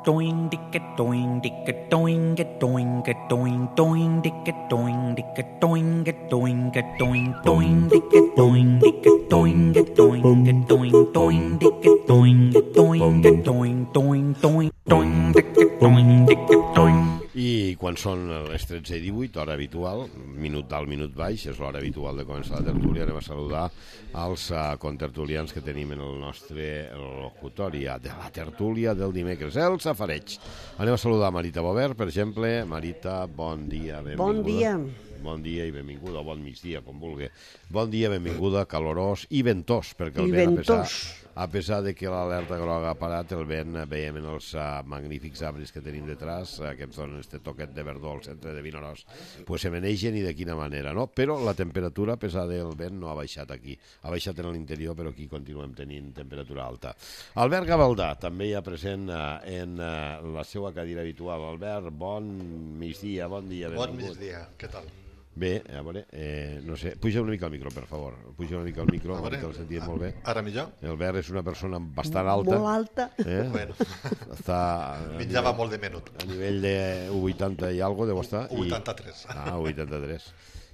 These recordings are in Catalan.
doing dicka doing dicka doing a doing a doing doing dicka doing dicka doing a doing a doing doing dicka doing dicka doing a doing a doing doing dicka doing a doing a doing doing doing doing dicka doing dicka doing. I quan són les 13:18, hora habitual, minut dalt, minut baix, és l'hora habitual de començar la tertúlia. Anem a saludar els contertulians que tenim en el nostre locutori de la tertúlia del dimecres, el safareig. Anem a saludar Marita Bovert, per exemple. Marita, bon dia, benvinguda. Bon dia. Bon dia i benvinguda, o bon migdia, com vulgui. Bon dia, benvinguda, calorós i ventós, perquè el vent, a pesar de que l'alerta groga ha parat, el vent, veiem en els magnífics arbres que tenim detrás, que ens donen este toquet de verdor al centre de Vinaròs, pues se menegen i de quina manera, no? Però la temperatura, a pesar del vent, no ha baixat aquí. Ha baixat en l'interior, però aquí continuem tenint temperatura alta. Albert Gavaldà, també hi ha present en la seva cadira habitual. Albert, bon migdia, bon dia. Bon migdia, què tal? Bé, a veure, no sé, puja una mica el micro, per favor. Puja una mica el micro, que el sentim molt bé. Ara millor? Albert és una persona bastant alta. Molt alta. Bueno, està menjava molt de menut. A nivell de 80 i algo deu estar. 83. 83.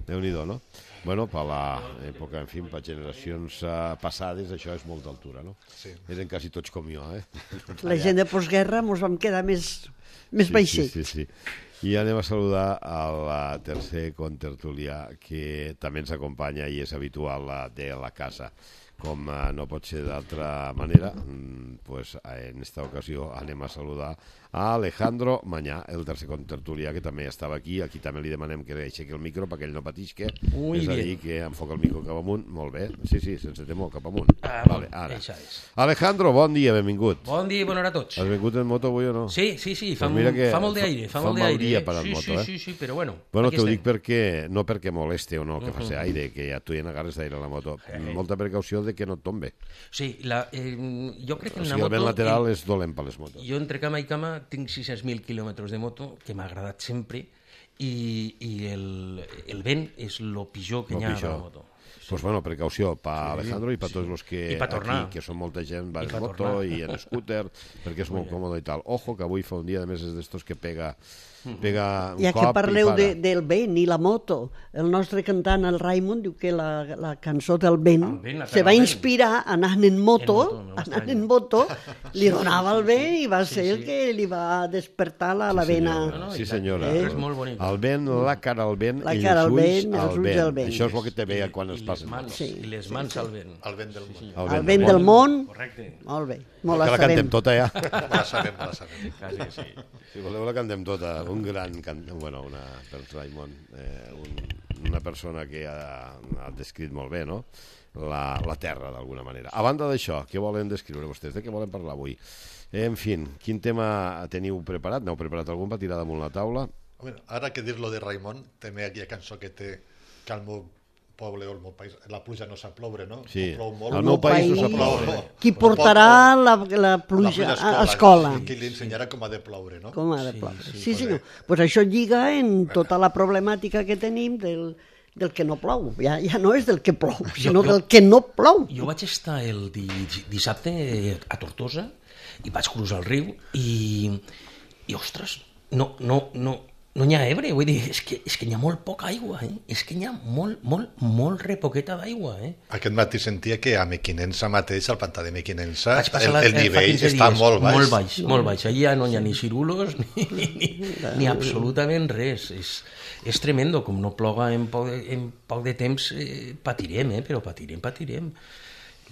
Déu-n'hi-do, no? Bueno, per l'època, en fi, per generacions passades, això és molta altura, no? Sí. Eren quasi tots com jo, La gent de postguerra ens vam quedar més baixets. Sí. I anem a saludar al tercer contertulià que també ens acompanya i és habitual de la casa. Com no pot ser d'altra manera, pues en esta ocasió anem a saludar a Alejandro Mañá, el tercer contertulià, que també estava aquí. Aquí també li demanem que aixequi el micro perquè ell no patisca. És a dir, que enfoca el micro cap amunt. Molt bé. Sí, sense temor, cap amunt. Vale, ara. Alejandro, bon dia, benvingut. Bon dia i bona hora a tots. Has vingut en moto avui o no? Sí, fa molt d'aire. Fa mal dia per al moto, Sí, però bueno. Bueno, t'ho dic perquè, no perquè moleste o no, que faci aire, que ja tu hi agarres d'aire a la moto. Molta precaució de que no et tombe. Sí, jo crec que en una moto... O sigui, el vent lateral és dolent per les motos. Jo entre cama i cama tinc 600.000 quilòmetres de moto, que m'ha agradat sempre, i el vent és el pitjor que hi ha a la moto. Pues bueno, precaució per Alejandro i per tots els que aquí, que són molta gent, va en moto i en scooter, perquè és molt còmode i tal. Ojo, que avui fa un dia, de més, és d'estos que pega un cop i para. Ja que parleu del vent i la moto, el nostre cantant, el Raimon, diu que la cançó del vent se va inspirar anant en moto, li donava el vent i va ser el que li va despertar la vena. Sí, senyora. És molt bonic. El vent, la cara al vent, i els ulls al vent. Això és el que te veia quan es passa. I les mans al vent. El vent del món. El vent del món. Correcte. Molt bé. Molt la cantem tota, ja. La sabem. Quasi sí. Si voleu la cantem tota. Un gran cantant, bueno, per Raimon, una persona que ha descrit molt bé, no?, la terra, d'alguna manera. A banda d'això, què volen descriure vostès? De què volen parlar avui? En fi, quin tema teniu preparat? N'heu preparat algun per tirar damunt la taula? Ara que dir-lo de Raimon, també aquella cançó que té que el meu poble o el meu país, la pluja no sap ploure, no? Sí, plou molt. el meu país no sap ploure. Qui portarà la pluja a escola? Qui li ensenyarà com ha de ploure, no? Com ha de ploure. Sí, senyor. Pues això lliga en tota la problemàtica que tenim del que no plou. Ja no és del que plou, sinó del que no plou. Jo vaig estar el dissabte a Tortosa i vaig cruzar el riu i ostres, no n'hi ha Ebre, vull dir, és que n'hi ha molt poca aigua, és que n'hi ha molt repoqueta d'aigua. Aquest matí sentia que a Mequinensa mateix, al pantà de Mequinensa, el nivell està molt baix. Molt baix, allà no hi ha ni cirulos ni absolutament res. És tremendo, com no ploga en poc de temps, patirem, però patirem.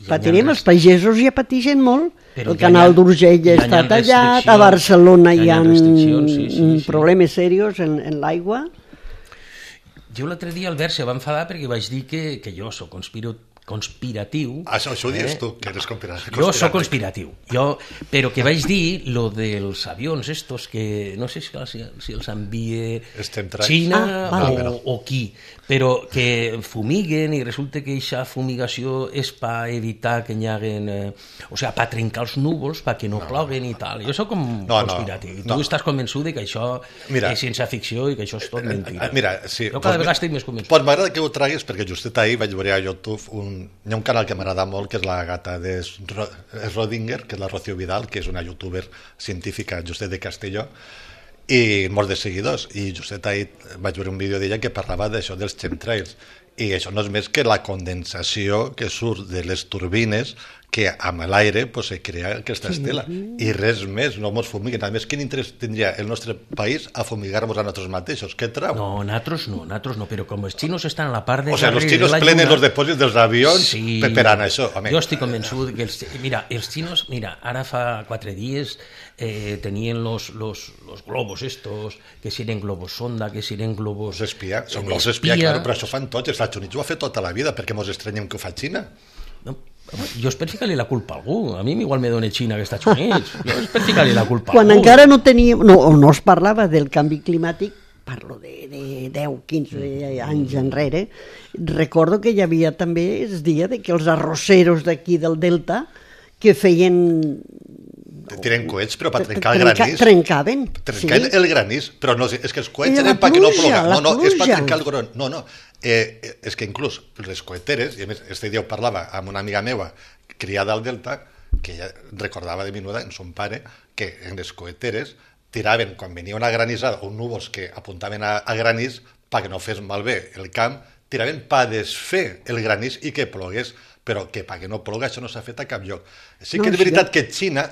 Patirem, els pagesos ja patixen molt. El canal d'Urgell ja està tallat, a Barcelona hi ha problemes serios en l'aigua. Jo l'altre dia, Albert, se va enfadar perquè vaig dir que jo soc conspiratiu. Això ho dius tu, que eres conspiratiu. Jo soc conspiratiu, però que vaig dir lo dels avions estos que no sé si els envia Xina o qui, però que fumiguen i resulta que aquesta fumigació és per evitar que hi haguen, o sigui, per trencar els núvols, perquè no ploguen i tal. Jo soc conspiratiu. Tu estàs convençut que això és ciència-ficció i que això és tot mentida. Mira, sí. Jo cada vegada estic més convençut. Pues m'agrada que ho traguis perquè justet ahir vaig veure a YouTube un hi ha un canal que m'agrada molt, que és la gata de Schrödinger, que és la Rocío Vidal, que és una youtuber científica, Justet de Castelló, i molts de seguidors. I Justet ahir vaig veure un vídeo d'ella que parlava d'això dels chemtrails. I això no és més que la condensació que surt de les turbines que amb l'aire pues, se crea aquesta estela. I res més, no ens fumiguen. A més, quin interès tindria el nostre país a fumigar-nos a nosaltres mateixos? Què trau? No, nosaltres no, però com els xinos estan a la part de... O sigui, els xinos plenen els depòsits dels avions per anar a això. Home. Jo estic convençut que els xinos, ara fa 4 dies tenien los globos estos, que si eren globos sonda, que si eren globos... Espia, són globos espia, claro, però això fan tots. Els Estats Units ho ha fet tota la vida, perquè mos estranyem que ho fa Xina. No, jo és per ficar-li la culpa a algú. A mi igual me dona Xina que Estats Units. Jo és per ficar-li la culpa a algú. Quan encara no teníem, no es parlava del canvi climàtic, parlo de 10-15 anys enrere, recordo que hi havia també el dia de que els arrosseros d'aquí del Delta que feien... Tiren coets, però per trencar el granís. Trencaven, el granís, però no, és que els coets eren perquè no ploga. No, és per trencar el granís. No, és que inclús les coeteres, i a més, este dia ho parlava amb una amiga meva, criada al Delta, que ella recordava de menuda en son pare, que en les coeteres tiraven, quan venia una granissada, o núvols que apuntaven a granís, perquè no fes malbé el camp, tiraven per desfer el granís i que plogués, però que perquè no ploga això no s'ha fet a cap lloc. Sí que és veritat que Xina,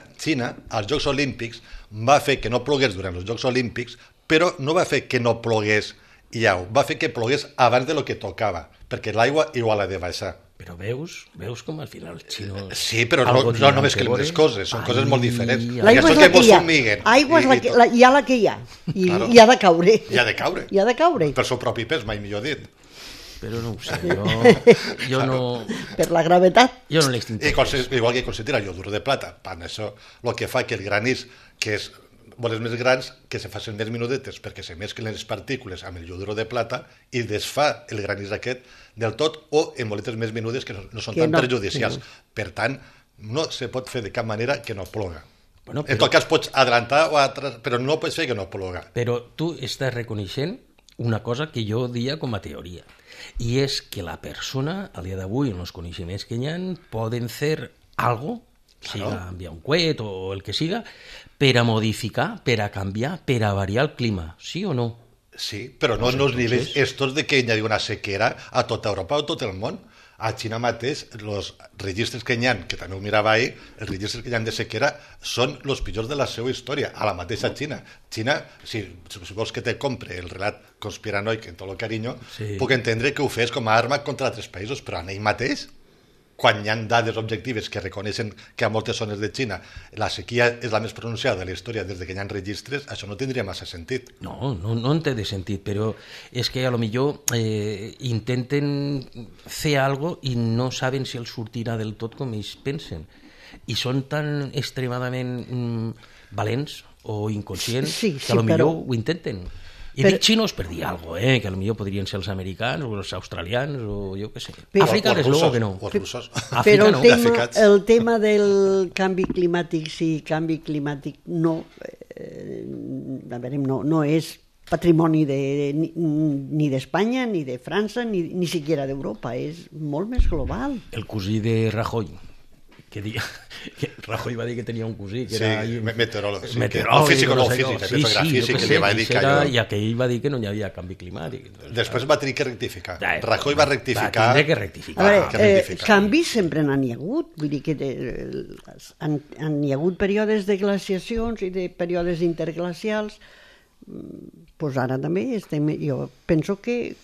als Jocs Olímpics, va fer que no plogués durant els Jocs Olímpics, però no va fer que no plogués va fer que plogués abans de lo que tocava, perquè l'aigua igual ha de baixar. Però veus com al final els xinos... Sí, però no només que les coses, són coses molt diferents. L'aigua és la que hi ha. Aigua és hi ha la que hi ha. I ha de caure. I ha de caure. I ha de caure. Per seu propi pes, mai millor dit. Però no ho sé, jo no... Per la gravetat. Jo no l'extinto. Igual que considera el iodur de plata, per això el que fa que el granís, que és boles més grans, que se facin més minudetes perquè se mesclen les partícules amb el iodur de plata i desfà el granís aquest del tot, o en boletes més menudes que no són tan perjudicials. Per tant, no se pot fer de cap manera que no ploga. En tot cas pots adelantar o atrás, però no pots fer que no ploga. Però tu estàs reconeixent una cosa que jo dia com a teoria, i és que la persona, al dia d'avui, en els coneixements que hi ha, poden fer algo, siga enviar un coet o el que siga, per a modificar, per a canviar, per a variar el clima, sí o no? Sí, però no en els nivells estos de que hi ha una sequera a tota Europa o tot el món. A Xina mateix, els registres que hi ha, que també ho mirava ahir, els registres que hi ha de sequera són els pitjors de la seva història, a la mateixa Xina. Xina, si vols que te compre el relat conspiranoic en tot el carinyo, puc entendre que ho fes com a arma contra altres països, però en ell mateix, quan hi ha dades objectives que reconeixen que a moltes zones de Xina la sequia és la més pronunciada de la història des que hi ha registres, això no tindria massa sentit. No en té de sentit, però és que a lo millor intenten fer algo i no saben si els sortirà del tot com ells pensen. I són tan extremadament valents o inconscients que a lo millor ho intenten. I dic xinos per dir alguna cosa, que potser podrien ser els americans o els australians o jo què sé. Àfrica, des luego que no. O els russos. Però el tema del canvi climàtic, sí, canvi climàtic no és patrimoni ni d'Espanya, ni de França, ni siquiera d'Europa, és molt més global. El cosí de Rajoy, que Rajoy va dir que tenia un cosí que era meteoròleg, físic, i aquell va dir que no hi havia canvi climàtic. Després va tenir que rectificar. Rajoy va rectificar. Va tenir que rectificar. A veure, canvis sempre n'hi ha hagut, vull dir que n'hi ha hagut períodes de glaciacions i de períodes interglacials, doncs ara també jo penso que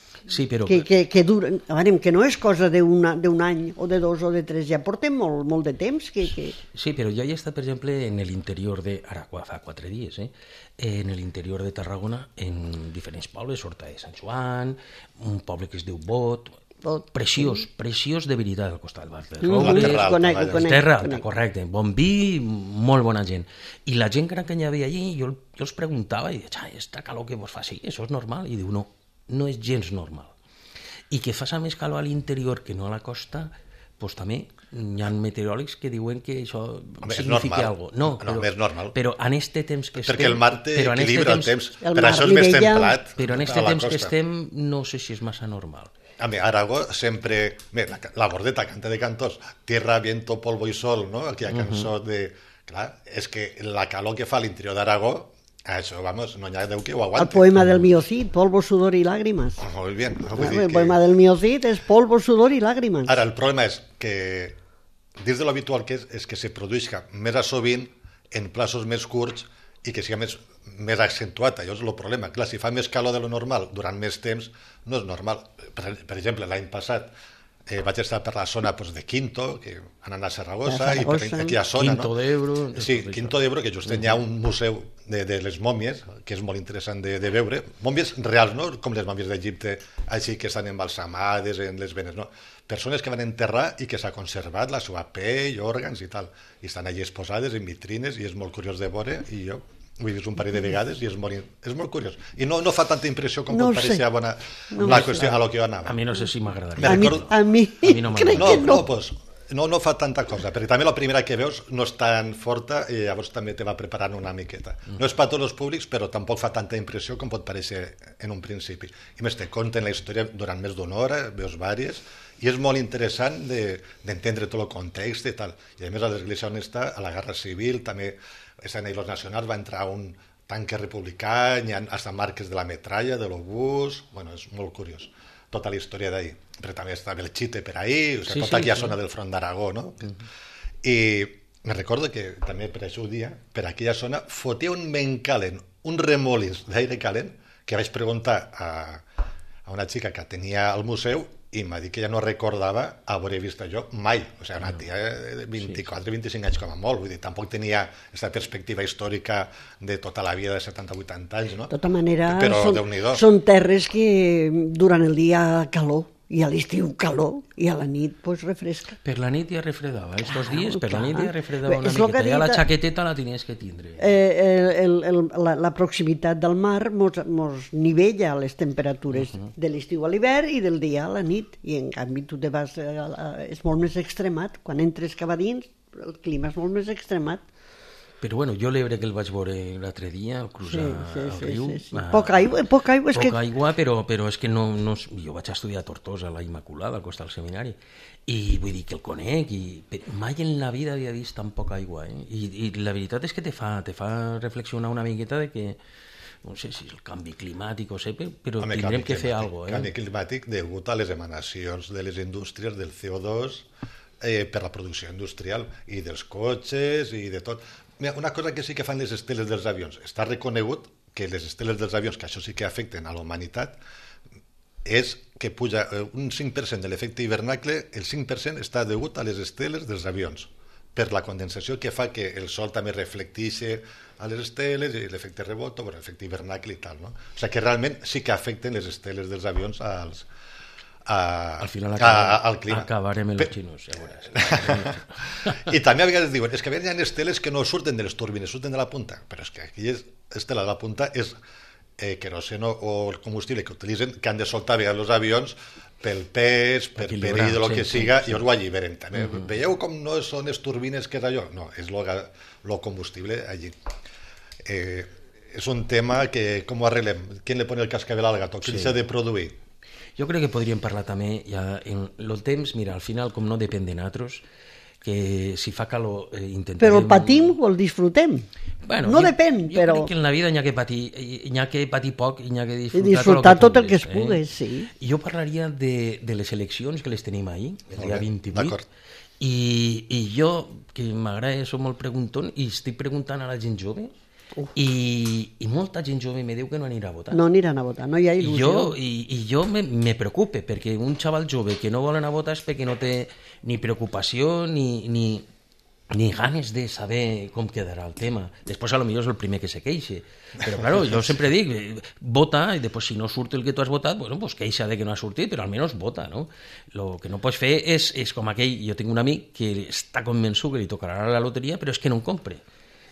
duren, que no és cosa d'un any o de 2 o de 3, ja portem molt de temps Sí, però jo he estat, per exemple, en l'interior ara fa 4 dies, en l'interior de Tarragona, en diferents pobles, Horta de Sant Joan, un poble que es diu Bot, preciós de veritat al costat del bar de Robles, Terra Alta, correcte, bon vi, molt bona gent, i la gent gran que hi havia allí, jo els preguntava i deia, esta calor que vos fa, sí, això és normal, i diu, no és gens normal, i que fa més calor a l'interior que no a la costa, doncs també hi ha meteoròlegs que diuen que això significa alguna cosa. No, és normal. Però en este temps que estem... Perquè el mar té equilibra el temps, per això és més templat. Però en este temps que estem no sé si és massa normal. A mi, Aragó sempre... La Bordeta canta de cantos, tierra, viento, polvo y sol, no? Aquella cançó de... Clar, és que la calor que fa a l'interior d'Aragó, això, vamos, no hi ha Déu que ho aguanti. El poema del Mío Cid, polvo, sudor y lágrimas. Molt bé. El poema del Mío Cid és polvo, sudor y lágrimas. Ara, el problema és que, dins de l'habitual que és que se produïsca més a sovint, en plaços més curts, i que sigui més accentuat. Això és el problema. Clar, si fa més calor de lo normal durant més temps, no és normal. Per exemple, l'any passat vaig estar per la zona de Quinto, que anant a Saragossa, i per aquella zona... Quinto d'Ebro... Sí, Quinto d'Ebro, que just hi ha un museu de les mòmies, que és molt interessant de veure. Mòmies reals, no? Com les mòmies d'Egipte, així que estan embalsamades en les venes, no? Persones que van enterrar i que s'ha conservat la seva pell, òrgans i tal. I estan allí exposades en vitrines i és molt curiós de veure, i jo ho he vist un parell de vegades i és molt curiós. I no fa tanta impressió com pot pareixer la qüestió a lo que jo anava. A mi no sé si m'agradaria. A mi crec que no. No fa tanta cosa, perquè també la primera que veus no és tan forta i llavors també te va preparant una miqueta. No és per a tots els públics, però tampoc fa tanta impressió com pot pareixer en un principi. I més, te conten la història durant més d'una hora, veus vàries, i és molt interessant d'entendre tot el context i tal. I a més a l'església on està, a la Guerra Civil, també estan ahí los nacionals, va entrar un tanque republicà, hi ha hasta marques de la metralla, de l'obús, bueno, és molt curiós, tota la història d'ahí. Però també està Belchite per ahí, o sigui, tota aquella zona del front d'Aragó, no? I me recordo que també per això dia, per aquella zona, fotia un vent calent, un remolins d'aire calent, que vaig preguntar a una xica que tenia al museu i m'ha dit que ja no recordava haver vist jo mai. O sigui, una tia de 24-25 anys com a molt, vull dir, tampoc tenia aquesta perspectiva històrica de tota la vida de 70-80 anys, no? De tota manera, però, són terres que durant el dia calor, i a l'estiu calor, i a la nit pues refresca. Per la nit ja refredava, estos dies per la nit ja refredava una miqueta, ja la xaqueteta la tenies que tindre. La proximitat del mar mos nivella les temperatures de l'estiu a l'hivern i del dia a la nit, i en canvi tu te vas, és molt més extremat, quan entres cap a dins el clima és molt més extremat. Però bueno, jo l'Ebre que el vaig veure l'altre dia, al cruzar el riu... Poca aigua, però és que no... Jo vaig estudiar a Tortosa, a la Immaculada, al costat del seminari, i vull dir que el conec, però mai en la vida havia vist tan poca aigua, I la veritat és que te fa reflexionar una miqueta de que no sé si és el canvi climàtic o sé, però tindrem que fer alguna cosa. Canvi climàtic degut a les emanacions de les indústries del CO2 per la producció industrial i dels cotxes i de tot. Mira, una cosa que sí que fan les esteles dels avions, està reconegut que les esteles dels avions, que això sí que afecten a la humanitat, és que puja un 5% de l'efecte hivernacle, el 5% està degut a les esteles dels avions, per la condensació que fa que el sol també reflecteixi a les esteles i l'efecte rebot, o l'efecte hivernacle i tal, no? O sigui que realment sí que afecten les esteles dels avions al final al clima. Acabarem els xinos, ja veuràs. I també a vegades diuen, és que hi ha esteles que no surten de les turbines, surten de la punta, però és que aquella estela de la punta és queroseno o el combustible que utilitzen, que han de soltar bé els avions pel pes, per perill de lo que siga, i us ho alliberen també. Veieu com no són les turbines que és allò? No, és el combustible allí. És un tema que com ho arreglem? Qui le pone el cascabel al gato? Qui s'ha de produir? Jo crec que podríem parlar també ja en el temps, mira, al final com no depèn de nosaltres, que si fa calor intentarem... Però el patim o el disfrutem? Bueno, no depèn, però... Jo crec que en la vida n'hi ha que patir poc i n'hi ha que disfrutar tot el que es pugui, sí. Jo parlaria de les eleccions que les tenim ahir, el dia 28, i jo, que m'agrada, soc molt preguntant, i estic preguntant a la gent jove, i molta gent jove me diu que no anirà a votar. No aniran a votar, no hi ha il·lusió. I jo me preocupe, perquè un xaval jove que no vol anar a votar és perquè no té ni preocupació ni ganes de saber com quedarà el tema. Després, potser és el primer que se queixa. Però, clar, jo sempre dic, vota, i després, si no surt el que tu has votat, bueno, pues queixa de que no ha sortit, però almenys vota, no? El que no pots fer és com aquell... Jo tinc un amic que està convençut que li tocarà la loteria, però és que no en compre.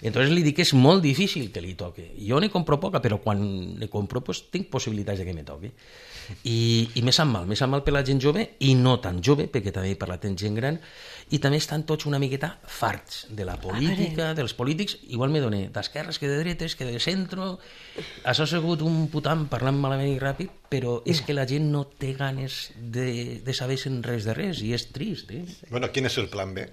Entonces li dic que és molt difícil que li toque. Jo ne compro poca, però quan ne compro pues, tinc possibilitats de que me toque. I me sap mal per la gent jove i no tan jove, perquè també he parlat amb gent gran, i també estan tots una miqueta farts de la política, dels polítics. Igual me dona d'esquerres que de dretes, que de centro. Això ha sigut un putam parlant malament i ràpid, però és que la gent no té ganes de saber res de res, i és trist. Bueno, quin és el plan B?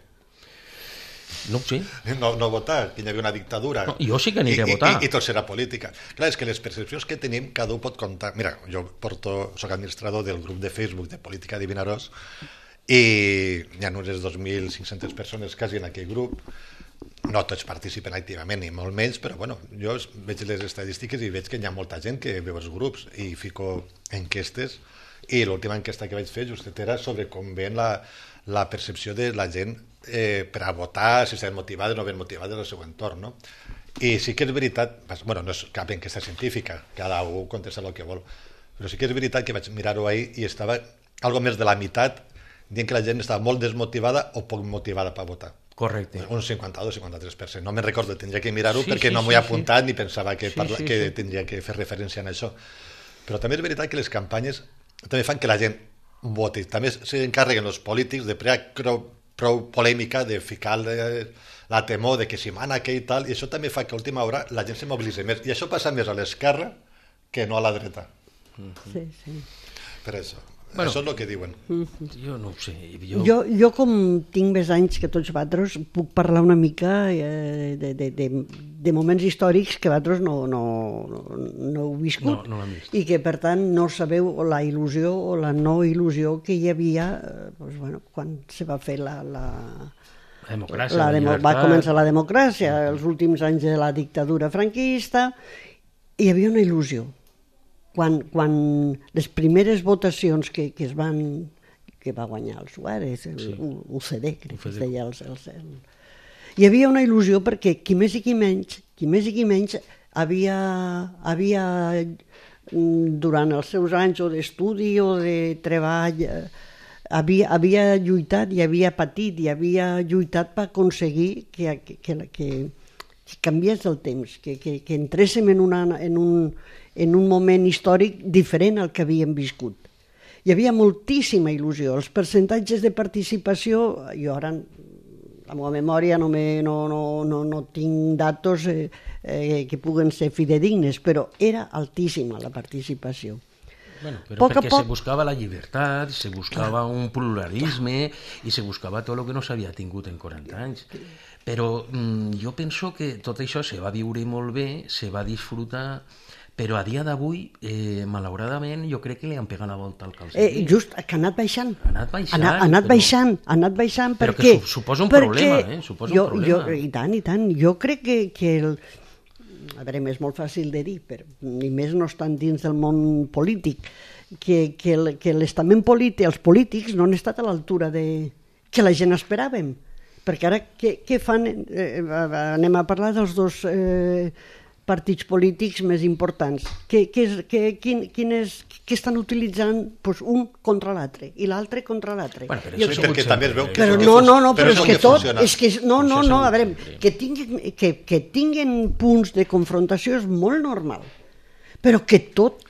No ho sé. No votar, que hi havia una dictadura. No, jo sí que aniré a votar. I tot serà política. Clar, és que les percepcions que tenim, cada un pot comptar. Mira, jo soc administrador del grup de Facebook de Política de Vinaròs i hi ha unes 2.500 persones quasi en aquell grup. No tots participen activament, ni molt menys, però bueno, jo veig les estadístiques i veig que hi ha molta gent que veu els grups i fico enquestes, i l'última enquesta que vaig fer justet era sobre com ven la percepció de la gent per a votar, si estan motivades o no ben motivades del seu entorn, no? I sí que és veritat, bueno, no és cap enquesta científica, cada un contesta el que vol, però sí que és veritat que vaig mirar-ho ahir i estava algo més de la meitat dient que la gent estava molt desmotivada o poc motivada per votar. Correcte. Un 52-53%. No me'n recordo, tindria que mirar-ho perquè no m'ho he apuntat ni pensava que tindria que fer referència a això. Però també és veritat que les campanyes també fan que la gent voti. També s'encarreguen els polítics de prou polèmica, de ficar la temor de que si mana que i tal, i això també fa que a última hora la gent se mobilitzi més. I això passa més a l'esquerra que no a la dreta. Sí, sí. Per això. Bueno, això és el que diuen. Jo no ho sé. Jo com tinc més anys que tots vosaltres, puc parlar una mica de moments històrics que vosaltres no heu viscut. No l'hem vist. I que, per tant, no sabeu la il·lusió o la no il·lusió que hi havia quan se va fer la democràcia, va començar la democràcia, els últims anys de la dictadura franquista, hi havia una il·lusió. Quan les primeres votacions que va guanyar el Suárez, UCD, crec que es deia hi havia una il·lusió perquè qui més i qui menys havia durant els seus anys o d'estudi o de treball havia lluitat i havia patit i havia lluitat per aconseguir que canviés el temps, que entréssim en un moment històric diferent al que havíem viscut. Hi havia moltíssima il·lusió. Els percentatges de participació, jo ara la meva memòria no tinc datos que puguen ser fidedignes, però era altíssima la participació. Bueno, però perquè se buscava la llibertat, se buscava un pluralisme i se buscava tot el que no s'havia tingut en 40 anys. Però jo penso que tot això se va viure molt bé, se va disfrutar, però a dia d'avui, malauradament, jo crec que li han pegat la volta al calcetín. Just, que ha anat baixant. Ha anat baixant, per què? Però que suposa un problema, suposa un problema. I tant. Jo crec que a veure, és molt fàcil de dir, però ni més no estan dins del món polític, que l'estament polític, els polítics no han estat a l'altura que la gent esperàvem. Perquè ara què fan? Anem a parlar dels dos partits polítics més importants. Què estan utilitzant? Pues un contra l'altre i l'altre contra l'altre. Perquè també es veu que però és que tot... No, a veure, que tinguen punts de confrontació és molt normal, però que tot,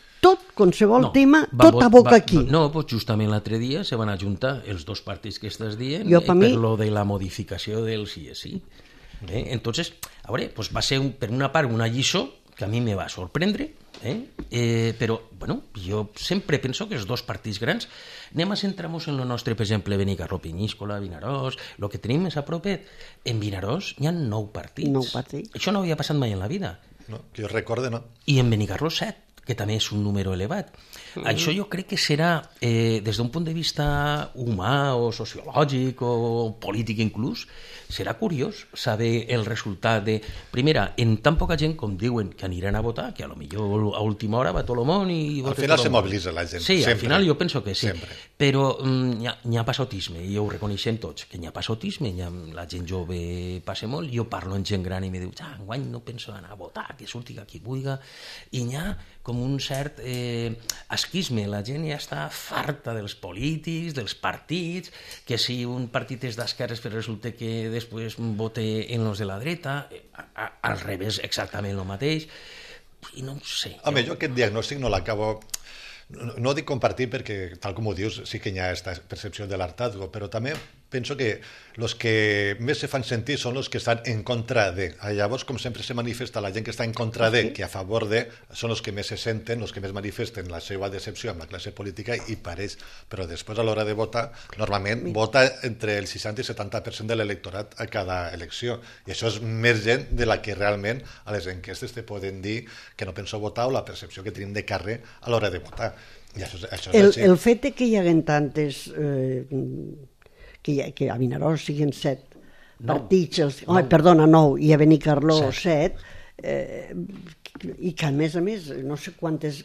qualsevol tema, tot aboca aquí. No, doncs justament l'altre dia se van ajuntar els dos partits que estàs dient per lo de la modificació del sí és sí. Entonces, a veure, pues va ser per una part una lliçó que a mi me va sorprendre, però bueno, jo sempre penso que els dos partits grans, anem a centrar-nos en el nostre, per exemple, Benicarló, Penyíscola, Vinaròs, el que tenim més a propet. En Vinaròs hi ha 9 partits. 9 partits. Això no havia passat mai en la vida. No, que jo recorde, no. I en Benicarló 7, que també és un número elevat. Això jo crec que serà, des d'un punt de vista humà o sociològic o polític inclús, serà curiós saber el resultat de... Primera, en tan poca gent com diuen que aniran a votar, que a lo millor a última hora va tot el món i... Al final se mobilitza la gent. Sí, sempre. Al final jo penso que sí. Sempre. Però hi ha passotisme, i ho reconeixem tots, que hi ha passotisme, la gent jove passa molt, jo parlo amb gent gran i me diu, enguany no penso anar a votar, que surti qui vulgui, i hi ha com un cert esquisme. La gent ja està farta dels polítics, dels partits, que si un partit és d'esquerres però resulta que després vota en els de la dreta, al revés exactament el mateix, i no ho sé. Home, jo aquest diagnòstic no l'acabo... No dic compartir perquè, tal com ho dius, sí que hi ha aquesta percepció de l'hartazgo, però també penso que els que més se fan sentir són els que estan en contra de. Llavors, com sempre se manifesta la gent que està en contra de, que a favor de, són els que més se senten, els que més manifesten la seva decepció amb la classe política i pareix. Però després, a l'hora de votar, normalment vota entre el 60 i 70% de l'electorat a cada elecció. I això és més gent de la que realment a les enquestes te poden dir que no penso votar o la percepció que tenim de carrer a l'hora de votar. I això és així. El fet de que hi haguen tantes... que a Vinaròs siguin 7 partits, 9, i a Benicarló 7, i que a més, no sé quantes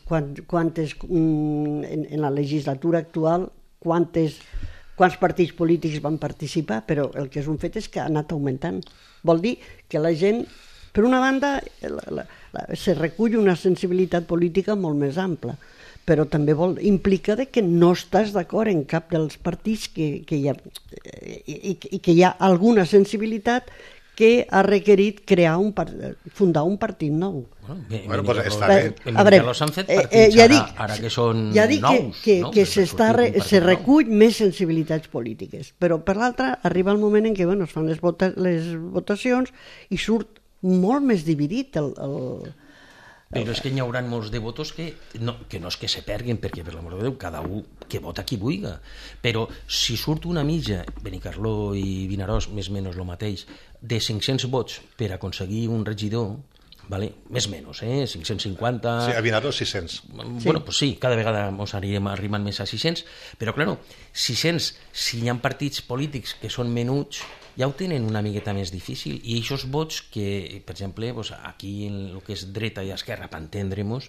en la legislatura actual, quants partits polítics van participar, però el que és un fet és que ha anat augmentant. Vol dir que la gent, per una banda, se recull una sensibilitat política molt més ampla, però també implica que no estàs d'acord en cap dels partits i que hi ha alguna sensibilitat que ha requerit fundar un partit nou. Bueno, pues està bé. A veure, s'han fet partits ara que són nous. Que se recull més sensibilitats polítiques, però per l'altra arriba el moment en què es fan les votacions i surt molt més dividit el... Però és que hi haurà molts de votos que no és que se perguen, perquè per l'amor de Déu, cada un que vota qui vulga. Però si surt una mitja, Benicarló i Vinaròs, més o menys el mateix, de 500 vots per aconseguir un regidor, vale? Més o menys, 550... Sí, a Vinaròs 600. Bueno, pues sí, cada vegada ens anirem arribant més a 600, però, clar, 600, si hi ha partits polítics que són menuts, ja ho tenen una miqueta més difícil, i aquests vots que, per exemple, aquí en el que és dreta i esquerra, per entendre-nos,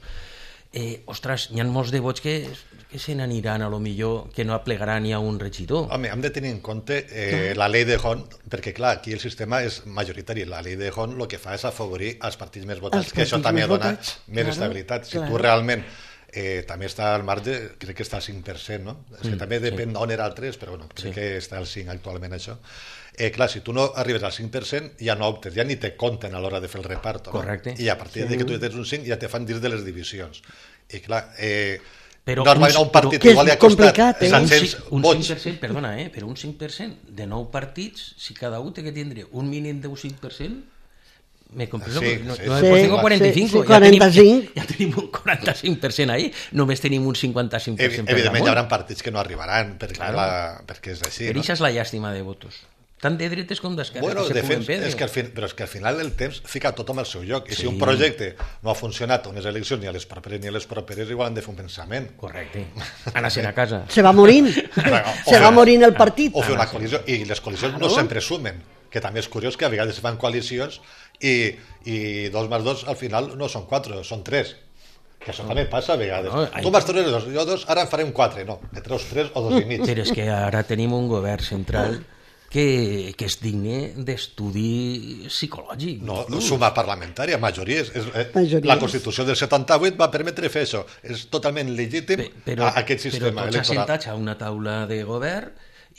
ostres, hi ha molts de vots que se n'aniran a lo millor, que no aplegaran ni a un regidor. Home, hem de tenir en compte la llei de Hont, perquè clar, aquí el sistema és majoritari. La llei de Hont el que fa és afavorir els partits més votats, que això també dona més estabilitat. Si tu realment també està al marge, crec que està al 5%, no? És que també depèn d'on era el 3%, però bueno, crec que està al 5% actualment això. Clar, si tu no arribes al 5%, ja no optes, ja ni te compten a l'hora de fer el reparto. Correcte. I a partir de que tu tens un 5 ja te fan dins de les divisions. I clar, però normalment un partit igual li ha costat 700 vots. 5%, perdona, però un 5% de 9 partits, si cada un té que tindre un mínim de un 5%, me comprenso, pues tengo 45, ja tenim un 45% ahí, només tenim un 55% per damunt. Evidentment hi haurà partits que no arribaran, perquè és així. Però això és la llàstima de votos, tant de dretes com d'esquerres. Bueno, de fet, però és que al final el temps fica tothom al seu lloc, i si un projecte no ha funcionat a unes eleccions ni a les properes, igual han de fer un pensament. Correcte, anar-se'n a casa. Se va morint, se va morint el partit. O fer una coalició, i les coalicions no sempre sumen, que també és curiós que a vegades fan coalicions i 2 més 2 al final no són 4, són 3, que això també passa a vegades. Tu vas treure 2, jo 2, ara en farem 4, no, que treus 3 o 2 i mig. Però és que ara tenim un govern central que és digne d'estudi psicològic. No, suma parlamentària, majories. La Constitució del 78 va permetre fer això. És totalment legítim aquest sistema electoral. Però tots assentats a una taula de govern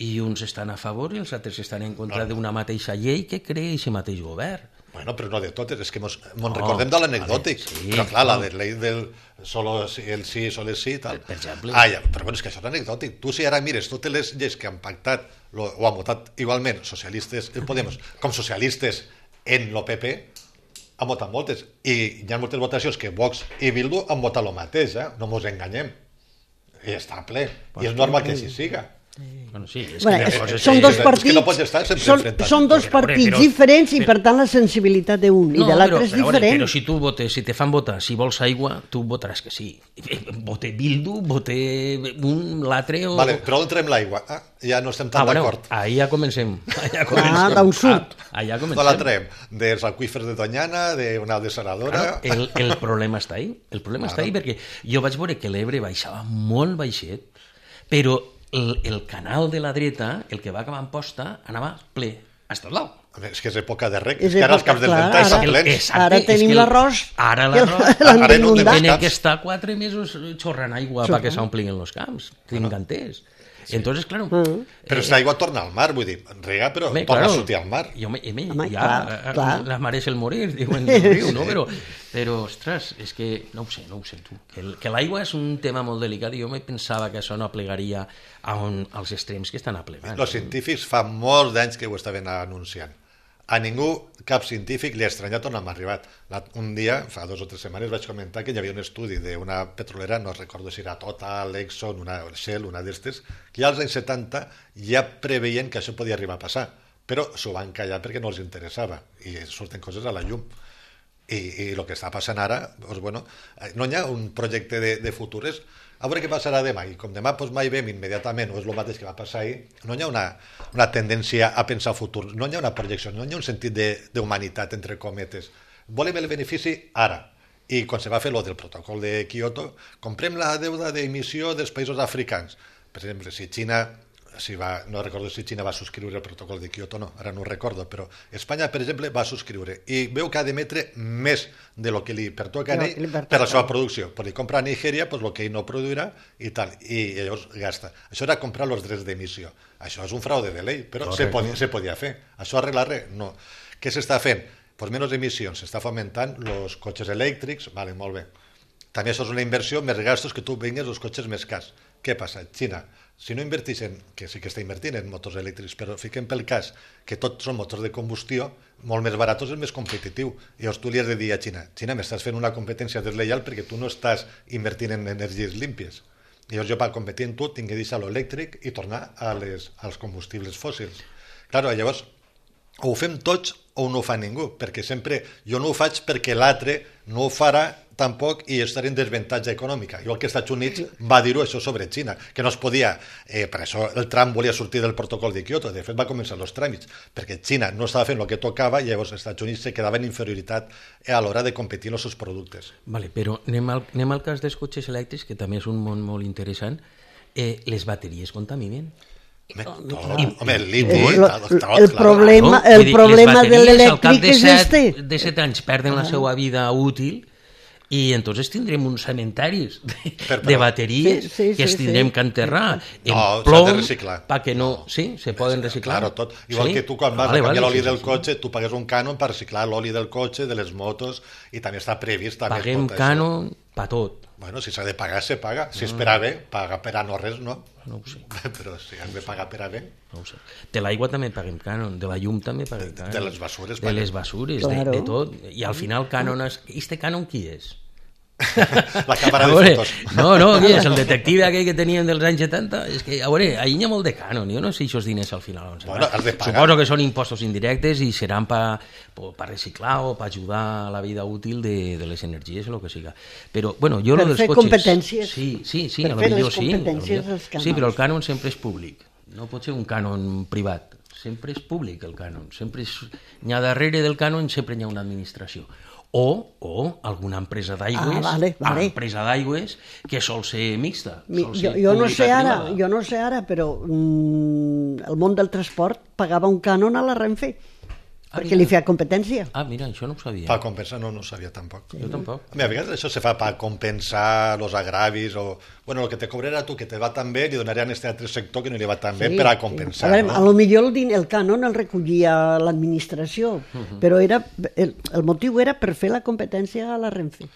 i uns estan a favor i els altres estan en contra d'una mateixa llei que crea aquest mateix govern. Bueno, però no de totes, és que ens recordem de l'anecdòtic, però clar, la de llei del solo el sí, solo el sí i tal. Per exemple. Però bueno, és que això és anecdòtic. Tu si ara mires totes les lleis que han pactat o han votat igualment socialistes, Podemos, com socialistes en el PP, han votat moltes, i hi ha moltes votacions que Vox i Bildu han votat el mateix, no ens enganyem. I està ple, i és normal que així siga. Bueno, sí, són dos partits diferents i per tant la sensibilitat d'un i de l'altre és diferent. Però si tu votes, si te fan votar, si vols aigua, tu votaràs que sí. Vote Bildu, vote l'altre o... Vale, però on trem l'aigua? Ja no estem tan d'acord. Ahí ja comencem. D'on surt? No la trem? Dels aqüífers de Doñana, d'una dessaladora... El problema està ahí. El problema està ahí perquè jo vaig veure que l'Ebre baixava molt baixet, però el canal de la dreta, el que va acabar en posta, anava ple, hasta el dalt. És que és època de rec, és que ara els camps del Delta estan plens. Ara tenim l'arròs. Ara l'arròs tiene que estar 4 mesos xorrant aigua perquè s'omplin els camps, tinc entès. Entonces, claro... Però aquesta aigua torna al mar, vull dir, rega, però torna a sortir al mar. La mar és el morir, diuen el riu, no? Però, ostres, és que no ho sé tu. Que l'aigua és un tema molt delicat i jo me pensava que això no aplegaria als extrems que estan aplegant. Els científics fa molts d'anys que ho estaven anunciant. A ningú, cap científic, li ha estranyat on hem arribat. Un dia, fa 2 o 3 setmanes, vaig comentar que hi havia un estudi d'una petrolera, no recordo si era Total, Exxon, Shell, una d'estes, que ja als anys 70 ja preveien que això podia arribar a passar, però s'ho van callar perquè no els interessava, i surten coses a la llum. I el que està passant ara, doncs, bueno, no hi ha un projecte de futures, a veure què passarà demà, i com demà doncs, mai vem immediatament, o és el mateix que va passar ahir, no hi ha una tendència a pensar futur, no hi ha una projecció, no hi ha un sentit d'humanitat, entre cometes. Volem el benefici ara. I quan se va fer del protocol de Kyoto, comprem la deuda d'emissió dels països africans. Per exemple, si Xina... no recordo si Xina va subscriure el protocol de Kyoto o no, ara no ho recordo, però Espanya, per exemple, va subscriure i veu que ha d'emetre més de lo que li pertoca a ell per la seva producció. Però li compra a Nigèria el que ell no produirà i tal, i llavors gasta. Això era comprar els drets d'emissió. Això és un fraude de llei, però se podia fer. Això arregla res? No. Què s'està fent? Pues menys emissions, s'està fomentant els cotxes elèctrics, vale, molt bé. També això és una inversió, més gastos que tu vingues els cotxes més cars. Què passa? Xina, si no inverteixen, que sí que està invertint en motors elèctrics, però fiquem pel cas que tots són motors de combustió, molt més baratos és més competitiu. I llavors tu li has de dir a Xina, m'estàs fent una competència deslleial perquè tu no estàs invertint en energies límpies. I llavors jo per competir amb tu tinc que deixar l'elèctric i tornar als combustibles fòssils. Clar, llavors o ho fem tots o no ho fa ningú, perquè sempre jo no ho faig perquè l'altre no ho farà tampoc i estaré en desavantatge econòmica. Igual que els Estats Units va dir-ho això sobre Xina, que no es podia, per això el Trump volia sortir del protocol de Kyoto, de fet va començar els tràmits, perquè Xina no estava fent el que tocava i llavors els Estats Units se quedava en inferioritat a l'hora de competir en els seus productes. Vale, però anem al cas dels cotxes elèctrics, que també és un món molt interessant. Les bateries contaminen? Home, el liti, el problema de l'elèctric és este. De 7 anys perden la seva vida útil i entonces tindrem uns cementaris de bateries que es tindrem que enterrar en plom perquè no... Sí, se poden reciclar. Claro, tot. Igual que tu quan vas a canviar l'oli del cotxe, tu pagues un cànon per reciclar l'oli del cotxe, de les motos, i també està previst... Paguem cànon per tot. Bueno, si s'ha de pagar, se paga. Si és per a bé, paga per a no res, no? No ho sé. Però si has de pagar per a bé... No ho sé. De l'aigua també paguem cànon, de la llum també paguem cànon. De les basures. De les basures, de tot. I al final cànon... Este cànon qui és? La càmera de fotos. No, qui és? El detective aquell que teníem dels anys 70? És que, a veure, ahir hi ha molt de cànon. Jo no sé si aquests diners al final on seran. Suposo que són impostos indirectes i seran per reciclar o per ajudar a la vida útil de les energies o el que siga. Però, bueno, jo per lo dels fer cotxes... competències. Sí, per fer les competències dels cànons. Sí, però el cànon sempre és públic. No pot ser un cànon privat. Sempre és públic el cànon. N'hi ha darrere del cànon sempre hi ha una administració. O alguna empresa d'aigües, empresa d'aigües que sol ser mixta. Jo no sé ara, però el món del transport pagava un cànon a la Renfe perquè li feia competència. Mira, això no ho sabia. Per compensar no ho sabia tampoc. Jo tampoc. A vegades això se fa per compensar els agravis o... Bueno, el que te cobrarà tu, que te va tan bé, li donaré a aquest altre sector que no li va tan bé per a compensar. A veure, a lo millor el cànon el recollia l'administració, però el motiu era per fer la competència a la Renfe.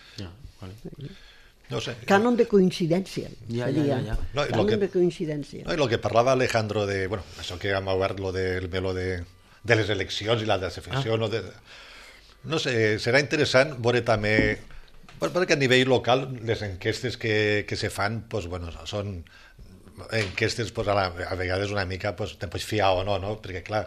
No sé. Cànon de coincidència. Ja. Cànon de coincidència. I el que parlava Alejandro de... Bueno, això que hem obert del meló de les eleccions i la desafecció. No sé, serà interessant veure també... Perquè a nivell local les enquestes que se fan són enquestes a vegades una mica te pots fiar o no? Perquè clar,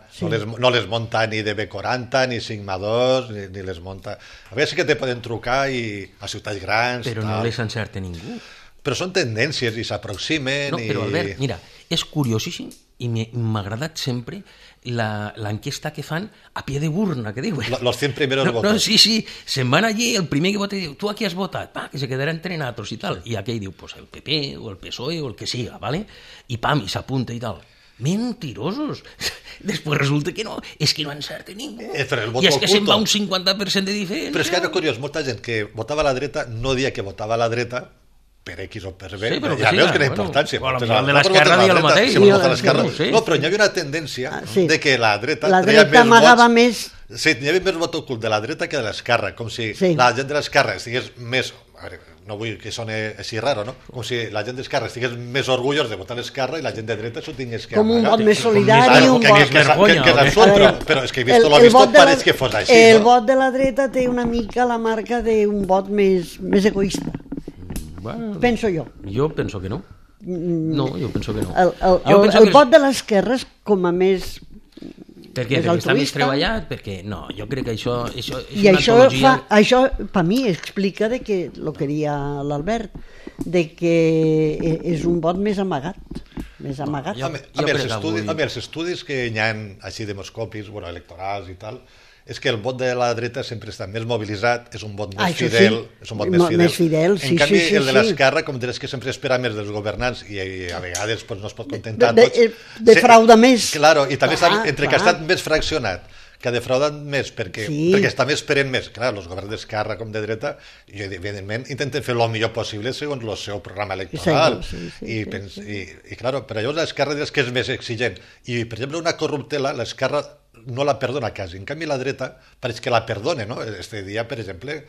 no les monta ni de B40 ni Sigma 2 ni les monta... A vegades sí que te poden trucar a ciutats grans... Però no les encerta ningú. Però són tendències i s'aproximen... No, però Albert, mira, és curiosíssim i m'ha agradat sempre l'enquesta que fan a pie de burna, que diuen. Los 100 primeros votos. Sí, se'n van allí, el primer que vota diu, tu a qui has votat? Que se quedarà entre nosaltres i tal. I aquell diu, pues el PP o el PSOE o el que siga, ¿vale? I pam, i s'apunta i tal. Mentirosos. Després resulta que no, és que no encerta ningú. I és que se'n va un 50% de diferència. Però és que era curiós, molta gent que votava a la dreta no dia que votava a la dreta per X o per B, ja veus que era importància. El de l'esquerra dia el mateix. No, però hi havia una tendència de que la dreta amagava més... Sí, hi havia més vot ocult de la dreta que de l'esquerra, com si la gent de l'esquerra estigués més... No vull que soni així raro, no? Com si la gent d'esquerra estigués més orgullós de votar l'esquerra i la gent de dreta s'ho tingués que amagar. Com un vot més solidari, un vot... Però és que he vist lo vist, pareix que fos així, no? El vot de la dreta té una mica la marca d'un vot més egoista. Penso jo. Jo penso que no. No, jo penso que no. El vot de l'esquerra és com a més... Perquè està més treballat, perquè no, jo crec que això és i una antologia... Això per mi explica de que el que deia l'Albert, de que és un vot més amagat. Més amagat. Els estudis que hi ha així demoscòpics, electorals i tal, és que el vot de la dreta sempre està més mobilitzat, és un vot més fidel, és un vot més fidel. En canvi, el de l'esquerra, com diràs que sempre espera més dels governants i a vegades no es pot contentar tots. Defrauda més. Claro, i també entre que ha estat més fraccionat, que ha defraudat més perquè està més esperant més. Clar, els governs d'esquerra com de dreta, i evidentment intenten fer el millor possible segons el seu programa electoral. I clar, per allò l'esquerra diràs que és més exigent. I, per exemple, una corruptela, l'esquerra no la perdona quasi. En canvi, la dreta pareix que la perdona, no? Este dia, per exemple,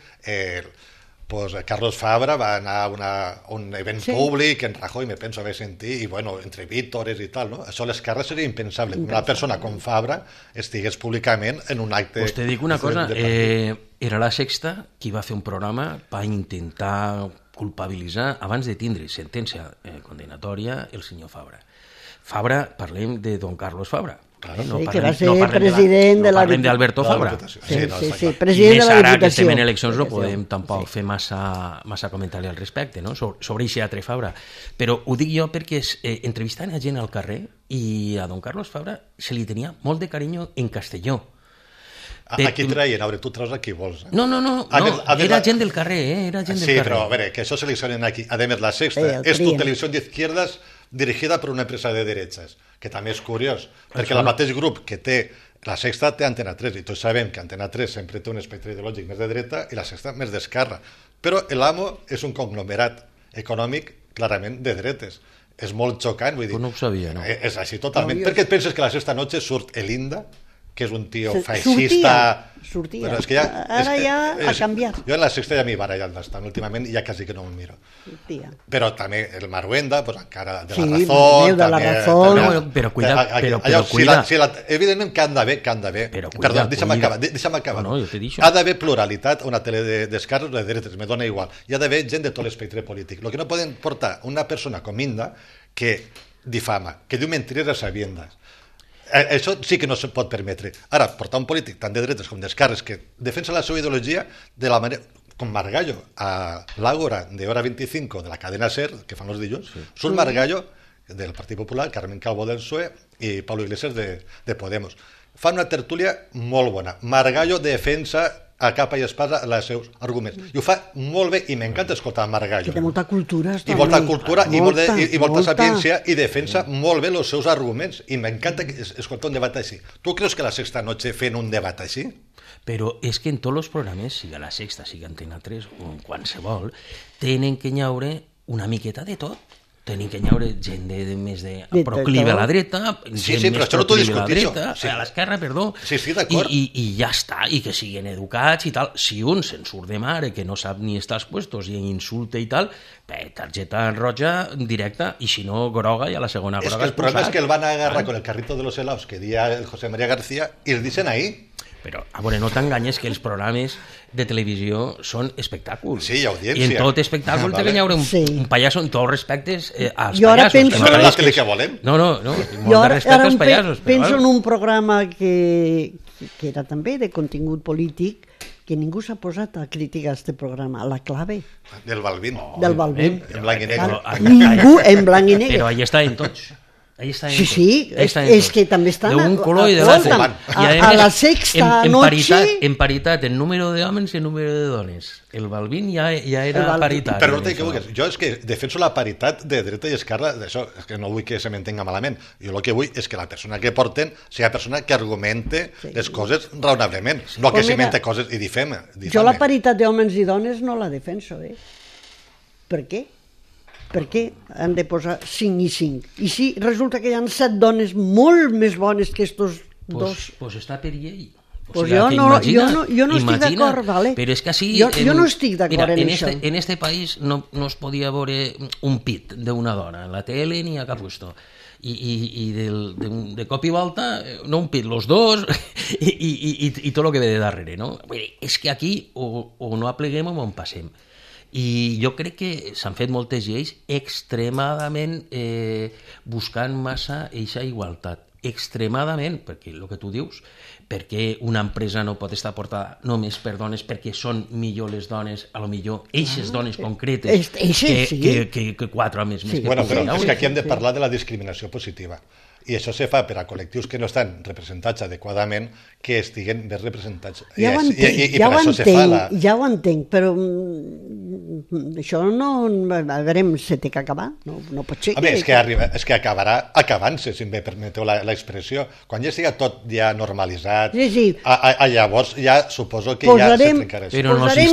Carlos Fabra va anar a un event públic, en Rajoy me penso haver sentit, i entre vítores i tal, no? Això a l'esquerra seria impensable. Una persona com Fabra estigués públicament en un acte... Pues te dic una cosa, era la Sexta qui va fer un programa per intentar culpabilitzar, abans de tindre sentència condenatòria, el senyor Fabra. Fabra, parlem de don Carlos Fabra. Claro, que va ser president de la... No parlem d'Alberto Fabra. Sí, president de la Diputació. I més ara que estem en eleccions no podem tampoc fer massa comentari al respecte, no? Sobre aquest altre Fabra. Però ho dic jo perquè entrevistant a gent al carrer i a don Carlos Fabra se li tenia molt de carinyo en Castelló. Aquí traien, a veure, tu treus a qui vols. No, era gent del carrer, era gent del carrer. Sí, però a veure, que això seleccionen aquí. A més, la Sexta és tu televisió d'izquierdas dirigida per una empresa de derechas, que també és curiós, perquè el mateix grup que té la Sexta té Antena 3, i tots sabem que Antena 3 sempre té un espectre ideològic més de dreta i la Sexta més d'esquerra. Però l'AMO és un conglomerat econòmic clarament de dretes. És molt xocant, vull dir... No ho sabia, no? És així totalment. Per què et penses que la Sexta noche surt Elinda, que és un tio feixista... Sortia. Ara ja ha canviat. Jo en la Sexta ja m'hi barallat bastant, últimament ja quasi que no m'ho miro. Però també el Maruenda, encara de la Razón... de la Razón... Però cuida... Evidentment que han d'haver... Perdó, deixa'm acabar. Ha d'haver pluralitat, una tele d'esquerres o de dretes, me dona igual. Hi ha d'haver gent de tot l'espectre polític. El que no poden portar una persona com Inda que difama, que diu mentires a sabiendas. Això sí que no se pot permetre. Ara, portar un polític tant de dretes com d'esquerres que defensa la seva ideologia de la manera... Com Margallo, a l'Àgora de Hora 25 de la cadena SER, que fan els dilluns, surt Margallo del Partit Popular, Carmen Calvo del PSOE i Pablo Iglesias de Podemos. Fan una tertúlia molt bona. Margallo defensa a capa i espasa els seus arguments. I ho fa molt bé, i m'encanta escoltar Margallo. Que té molta cultura. I molta cultura, i molta sapiència, i defensa molt bé els seus arguments. I m'encanta escoltar un debat així. Tu creus que la Sexta Noche fent un debat així? Però és que en tots els programes, sigui la Sexta, sigui Antena 3 o en qualsevol, tenen que llaure una miqueta de tot. Tenen que llaure gent més de proclive a la dreta, gent més proclive a la dreta, a l'esquerra, perdó, i ja està, i que siguin educats i tal. Si un se'n surt de mare, que no sap ni estar als puestos i insulta i tal, targeta roja directa, i si no, groga, i a la segona groga és que el problema és que el van agarrar con el carrito de los helados que dia el José María García i els dicen ahí. Però, a veure, no t'enganyes que els programes de televisió són espectacles. Sí, audiència. I en tot espectacle té que hi haure un pallasso en tots respectes als jo pallassos. Penso... No és que volem. No, molt de respecte als pallassos. Penso en un programa que era també de contingut polític, que ningú s'ha posat a criticar aquest programa, La Clave. Del Balbín. Del Balbín. En blanc i negre. Ningú en blanc i negre. Però allà estaven tots. Sí, és que també estan... D'un color i de l'altre. A la sexta noche... En paritat, el número d'homes i el número de dones. El Balvin ja era paritari. Però no t'he que vulguis. Jo és que defenso la paritat de dreta i esquerra, d'això, és que no vull que se m'entenga malament. Jo el que vull és que la persona que porten sigui la persona que argumente les coses raonablement, no que s'invente coses i difame. Jo la paritat d'homes i dones no la defenso, Per què? Per què han de posar 5 i 5? I si resulta que hi ha 7 dones molt més bones que estos dos? Pues està per llei. Jo no estic d'acord, vale? Però és que així... Jo no estic d'acord en això. En este país no es podia veure un pit d'una dona, en la tele ni a cap lloc. I de cop i volta, no un pit, los dos, i tot el que ve de darrere, no? És que aquí o no apleguem o no en passem. I jo crec que s'han fet moltes lleis extremadament buscant massa eixa igualtat. Extremadament, perquè el que tu dius, perquè una empresa no pot estar portada només per dones perquè són millor les dones, a lo millor eixes dones concretes que 4 homes més. Bueno, però és que aquí hem de parlar de la discriminació positiva. I això se fa per a col·lectius que no estan representats adequadament, que estiguen ben representats. Ja ho entenc, però això no... A veure, se té que acabar. No pot ser que... És que acabarà acabant-se, si em permeteu l'expressió. Quan ja estigui tot ja normalitzat, llavors ja suposo que ja se trencarà. Però en els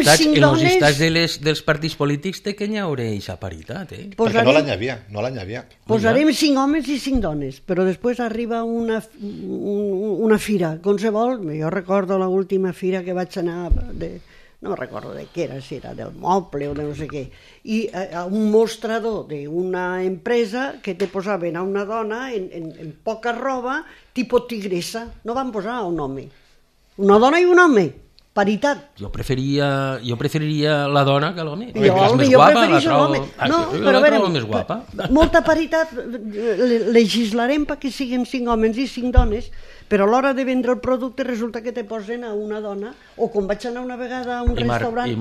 estats dels partits polítics té que hi haurà aquesta paritat, Perquè no l'any havia. Posarem 5 homes i 5 dones, però després arriba una fira, qualsevol. Jo recordo l'última fira que vaig anar, no recordo de què era, si era del moble o de no sé què, i a un mostrador d'una empresa que te posaven a una dona en poca roba, tipus tigressa, no van posar un home. Una dona i un home. Paritat. Jo preferiria la dona que l'home. Jo prefereixo l'home. No, però a veure, més guapa. Molta paritat, legislarem perquè siguin 5 homes i 5 dones, però a l'hora de vendre el producte resulta que te posen a una dona, o com vaig anar una vegada a un restaurant,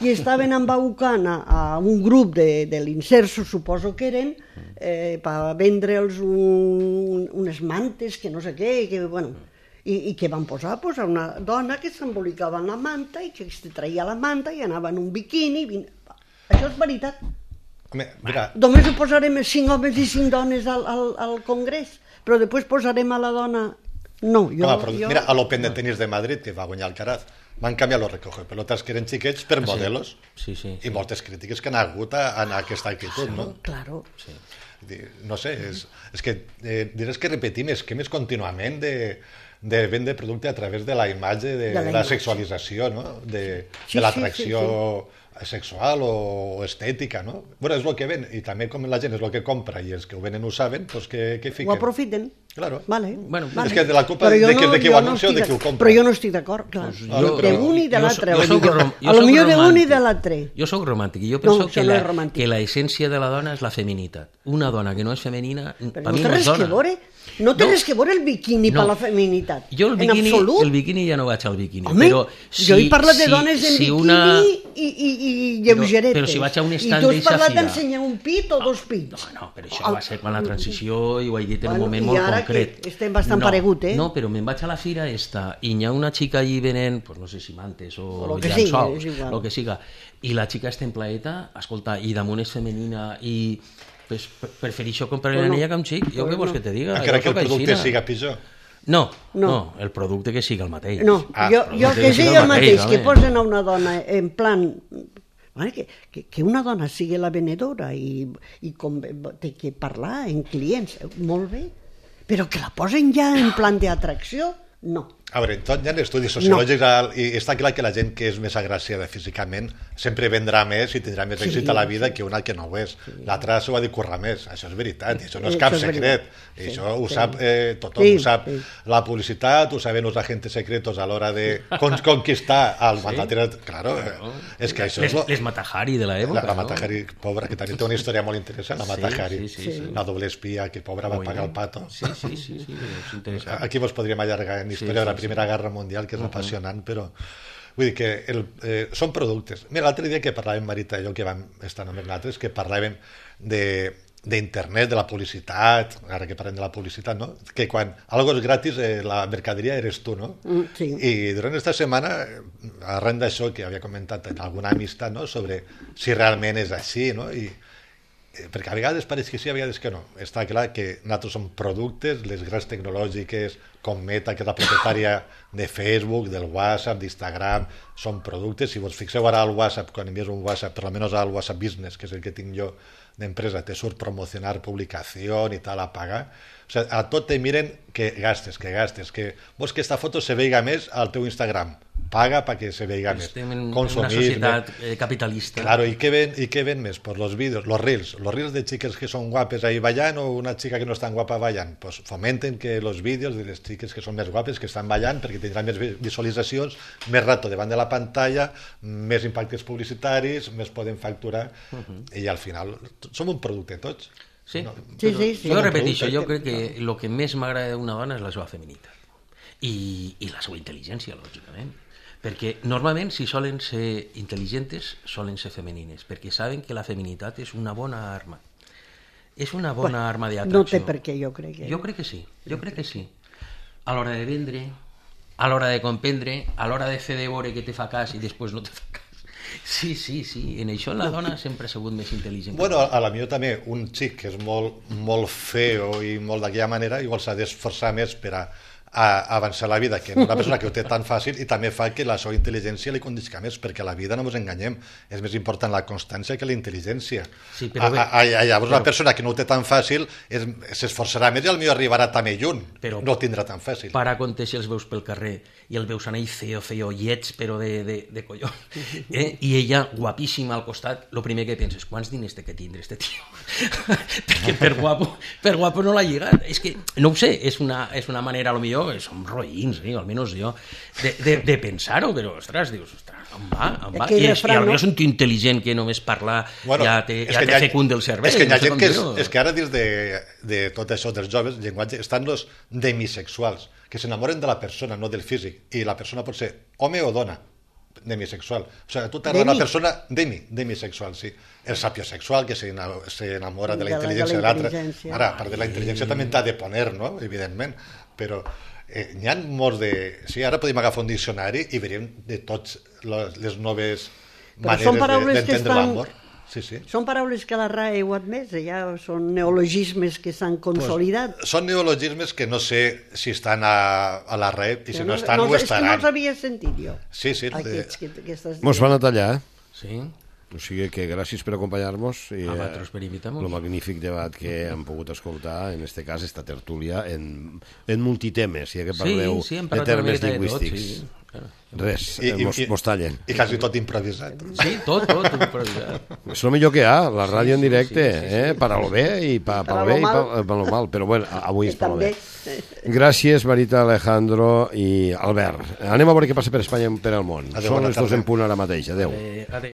i estaven embaucant a un grup de l'Inserso, suposo que eren, per vendre'ls unes mantes, que no sé què, que bueno... I que van posar una dona que s'embolicava en la manta i que es traia la manta i anava en un biquini. Això és veritat. Només ho posarem 5 homes i 5 dones al Congrés, però després posarem a la dona... No, mira, a l'Open de tenis de Madrid, que va guanyar Alcaraz, van canviar los recogepelotas que eren xiquets per modelos, i moltes crítiques que han hagut en aquesta actitud, no? Claro. No sé, és que diràs que repetim esquemes contínuament de vendre producte a través de la imatge, de la sexualització, no? De l'atracció sexual o estètica, no? Bueno, és el que ven, i també com la gent és el que compra i els que ho venen ho saben, doncs què fiquen? Ho aprofiten. Claro. Vale. És que de la culpa de qui ho anuncia o de qui ho compra. Però jo no estic d'acord, clar. D'un i de l'altre. A lo millor d'un i de l'altre. Jo soc romàntic i jo penso que l'essència de la dona és la feminitat. Una dona que no és femenina, per mi no és dona. No té res que veure el biquini per la feminitat. Jo el biquini ja no vaig al biquini. Home, jo he parlat de dones en biquini i lleugeretes. Però si vaig a un estand d'eixa fira... I tu has parlat d'ensenyar un pit o 2 pits. No, però això va ser quan la transició i ho he dit en un moment molt concret. Estem bastant paregut, No, però me'n vaig a la fira esta i hi ha una xica allí venent, no sé si mantes o llençols, el que siga, i la xica està en plaeta, escolta, i damunt és femenina i... Pues prefereixo comprar-li l'anella que un xic. Jo què vols que te diga? Encara que el producte siga pitjor. No, el producte que siga el mateix. No, jo que sigui el mateix, que posen a una dona en plan... Que una dona sigui la venedora i té que parlar en clients, molt bé, però que la posen ja en plan d'atracció, no. A veure, tot hi ha estudis sociològics i està clar que la gent que és més agraciada físicament sempre vendrà més i tindrà més èxit a la vida que una que no ho és. L'altra s'ho ha de currar més, això és veritat, i això no és cap secret. I això ho sap tothom, ho sap la publicitat, ho saben els agents secretos a l'hora de conquistar el mandatari. Claro, és que això és... Les Mata-Hari de l'època. La Mata-Hari, pobra, que també té una història molt interessant, la Mata-Hari, la doble espia, que pobra va pagar el pato. Sí, és interessant. Aquí vos podríem allargar en història de la Primera Guerra Mundial, que és apassionant, però vull dir que són productes. Mira, l'altre dia que parlàvem, Marita i jo, que vam estar només nosaltres, que parlàvem de d'internet, de la publicitat, ara que parlem de la publicitat, no? Que quan algo és gratis, la mercaderia eres tu, no? Sí. I durant aquesta setmana, arran d'això que havia comentat en alguna amistat, no? Sobre si realment és així, no? Perquè a vegades pareix que sí, a vegades que no. Està clar que nosaltres som productes, les grans tecnològiques com Meta, que és la propietària de Facebook, del WhatsApp, d'Instagram, són productes. Si vos fixeu ara al WhatsApp, quan envies un WhatsApp, per almenys al WhatsApp Business, que és el que tinc jo d'empresa, te surt promocionar publicació i tal, a pagar. O sigui, a tot te miren que gastes, que vols que esta foto se veiga més al teu Instagram. Paga perquè se veiga més. Estem en una societat capitalista. Claro, ¿y qué ven més? Pues los vídeos, los reels de chicas que son guapes ahí ballant o una chica que no es tan guapa ballant. Pues fomenten que los vídeos de les xiques que són més guapes, que estan ballant, perquè tindran més visualitzacions, més rato davant de la pantalla, més impactes publicitaris, més poden facturar, i al final som un producte tots. Sí, no? Sí. Jo repeteixo, jo crec que el que més m'agrada d'una dona és la seva feminitat i la seva intel·ligència, lògicament. Perquè normalment, si solen ser intel·ligents, solen ser femenines, perquè saben que la feminitat és una bona arma. És una bona arma d'atracció. No té per què, jo crec. Jo crec que sí. A l'hora de vendre, a l'hora de comprendre, a l'hora de fer de veure que te fa cas i després no te fa cas. Sí. En això la dona sempre ha sigut més intel·ligent. Bueno, a la millor també un xic que és molt feo i molt d'aquella manera, igual s'ha d'esforçar més per a avançar la vida, que una persona que ho té tan fàcil, i també fa que la seva intel·ligència li condisca més, perquè la vida, no ens enganyem, és més important la constància que la intel·ligència. Sí, però llavors una persona que no ho té tan fàcil s'esforçarà més i potser arribarà també lluny, però no ho tindrà tan fàcil. Para compte si els veus pel carrer i el veus anar feo, lleig, però de colló, i ella guapíssima al costat, el primer que penses, quants diners té que tindre este tio? Perquè per guapo no l'ha lligat. És que, no ho sé, és una manera, a lo millor som roïns, almenys jo, de pensar-ho, però, ostres, dius, on va? I potser és un tio intel·ligent que només parlar ja te fecunda el cervell. És que ara dins de tot això dels joves, llenguatge, estan els demisexuals, que s'enamoren de la persona, no del físic, i la persona pot ser home o dona, demisexual. O sigui, tu t'agrada una persona demisexual, sí. El sapiosexual, que s'enamora de la intel·ligència de l'altre. Ara, a part de la intel·ligència també t'ha de poner, no? Evidentment. Però n'hi ha molts de... Sí, ara podem agafar un diccionari i veiem de totes les noves maneres d'entendre l'amor. Sí. Són paraules que la RAE ho ha admès, ja són neologismes que s'han consolidat. Són neologismes que no sé si estan a la RAE i si no estan, ho estaran. És que no els havia sentit jo. Sí. Mos van a tallar, Sí. O sigui que gràcies per acompanyar-nos i per invitar-nos. el magnífic debat que hem pogut escoltar, en este cas, esta tertúlia en multitemes, ja que parleu de termes lingüístics. Res, mos tallen. I quasi tot improvisat. Sí, tot improvisat. És el millor que hi ha, la ràdio en directe, per a lo bé i per a lo mal, però bueno, avui és per a lo bé. Gràcies, Marita, Alejandro i Albert. Anem a veure què passa per Espanya i per al món. Són les 2 en punt ara mateix. Adéu.